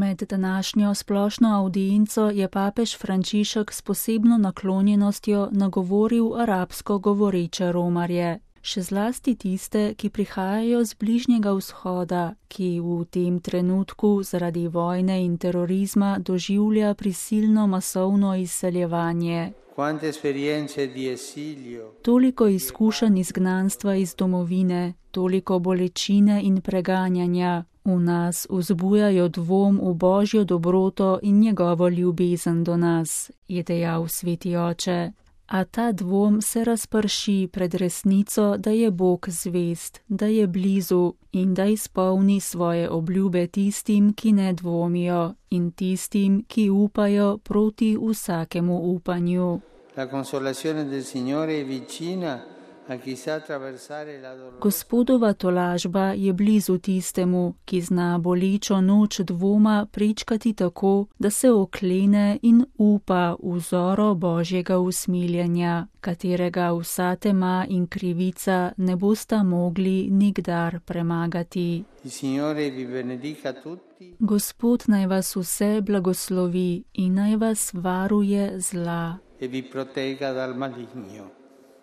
Med današnjo splošno avdienco je papež Frančišek s posebno naklonjenostjo nagovoril arabsko govoreče romarje, še zlasti tiste, ki prihajajo z Bližnjega vzhoda, ki v tem trenutku zaradi vojne in terorizma doživlja prisilno masovno izseljevanje. Toliko izkušenj izgnanstva iz domovine, toliko bolečine in preganjanja v nas vzbujajo dvom v Božjo dobroto in njegovo ljubezen do nas, je dejal sveti oče. A ta dvom se razprši pred resnico, da je Bog zvest, da je blizu in da izpolni svoje obljube tistim, ki ne dvomijo, in tistim, ki upajo proti vsakemu upanju. Gospodova tolažba je blizu tistemu, ki zna bolečo noč dvoma prečkati tako, da se oklene in upa v vzoro Božjega usmiljenja, katerega vsa tema in krivica ne bosta mogli nikdar premagati. Gospod naj vas vse blagoslovi in naj vas varuje zla. E vi protegga dal maligno.